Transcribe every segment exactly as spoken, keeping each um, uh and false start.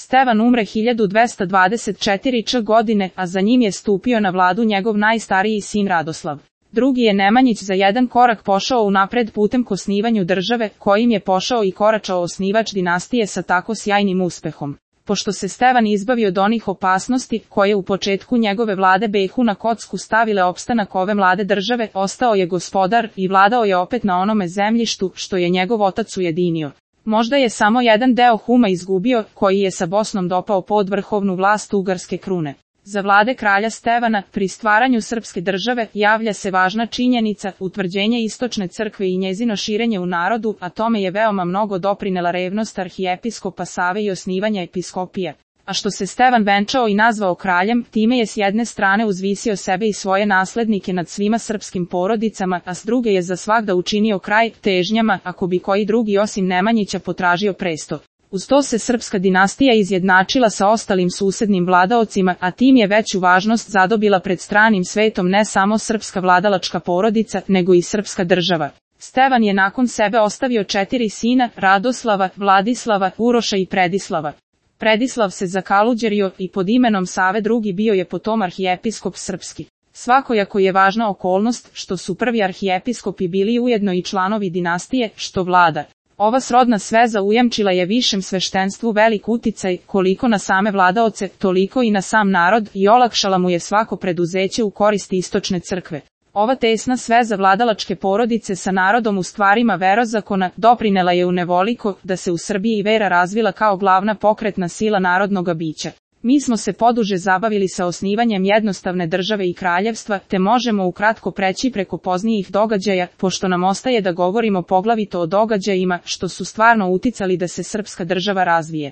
Stevan umre hiljadu dvesta dvadeset četvrte. godine, a za njim je stupio na vladu njegov najstariji sin Radoslav. Drugi je Nemanjić za jedan korak pošao unapred putem k osnivanju države, kojim je pošao i koračao osnivač dinastije sa tako sjajnim uspehom. Pošto se Stevan izbavio od onih opasnosti, koje u početku njegove vlade behu na kocku stavile opstanak ove mlade države, ostao je gospodar i vladao je opet na onome zemljištu, što je njegov otac ujedinio. Možda je samo jedan deo Huma izgubio, koji je sa Bosnom dopao pod vrhovnu vlast ugarske krune. Za vlade kralja Stevana, pri stvaranju srpske države, javlja se važna činjenica, utvrđenje istočne crkve i njezino širenje u narodu, a tome je veoma mnogo doprinela revnost arhijepiskopa Save i osnivanja episkopije. A što se Stevan venčao i nazvao kraljem, time je s jedne strane uzvisio sebe i svoje naslednike nad svima srpskim porodicama, a s druge je za svagda učinio kraj težnjama, ako bi koji drugi osim Nemanjića potražio presto. Uz to se srpska dinastija izjednačila sa ostalim susednim vladaocima, a tim je veću važnost zadobila pred stranim svetom ne samo srpska vladalačka porodica, nego i srpska država. Stevan je nakon sebe ostavio četiri sina, Radoslava, Vladislava, Uroša i Predislava. Predislav se zakaluđerio i pod imenom Save drugi bio je potom arhijepiskop srpski. Svakojako je važna okolnost, što su prvi arhijepiskopi bili ujedno i članovi dinastije, što vlada. Ova srodna sveza ujamčila je višem sveštenstvu velik uticaj, koliko na same vladaoce, toliko i na sam narod, i olakšala mu je svako preduzeće u korist istočne crkve. Ova tesna sveza vladalačke porodice sa narodom u stvarima verozakona doprinela je u nevoliko da se u Srbiji vera razvila kao glavna pokretna sila narodnoga bića. Mi smo se poduže zabavili sa osnivanjem jednostavne države i kraljevstva, te možemo ukratko preći preko poznijih događaja, pošto nam ostaje da govorimo poglavito o događajima što su stvarno uticali da se srpska država razvije.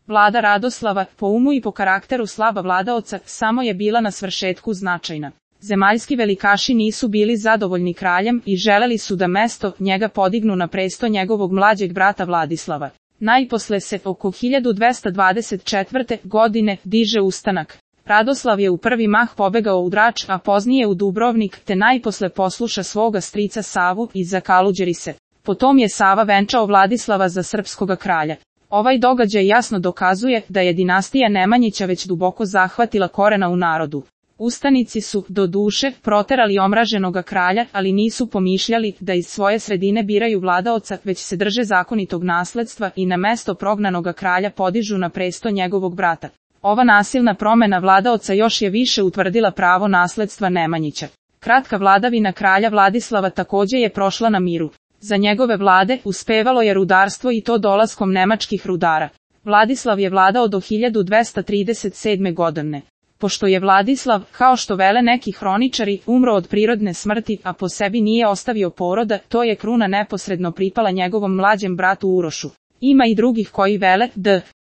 Vlada Radoslava, po umu i po karakteru slaba vladaoca, samo je bila na svršetku značajna. Zemaljski velikaši nisu bili zadovoljni kraljem i želeli su da mesto njega podignu na presto njegovog mlađeg brata Vladislava. Najposle se oko hiljadu dvesta dvadeset četvrte. godine diže ustanak. Radoslav je u prvi mah pobegao u Drač, a poznije u Dubrovnik, te najposle posluša svoga strica Savu i zakaluđeri se. Potom je Sava venčao Vladislava za srpskoga kralja. Ovaj događaj jasno dokazuje da je dinastija Nemanjića već duboko zahvatila korena u narodu. Ustanici su, do duše, proterali omraženoga kralja, ali nisu pomišljali da iz svoje sredine biraju vladaoca, već se drže zakonitog nasledstva i na mesto prognanoga kralja podižu na presto njegovog brata. Ova nasilna promena vladaoca još je više utvrdila pravo nasledstva Nemanjića. Kratka vladavina kralja Vladislava takođe je prošla na miru. Za njegove vlade uspevalo je rudarstvo i to dolaskom nemačkih rudara. Vladislav je vladao do hiljadu dvesta trideset sedme. godine. Pošto je Vladislav, kao što vele neki hroničari, umro od prirodne smrti, a po sebi nije ostavio poroda, to je kruna neposredno pripala njegovom mlađem bratu Urošu. Ima i drugih koji vele, da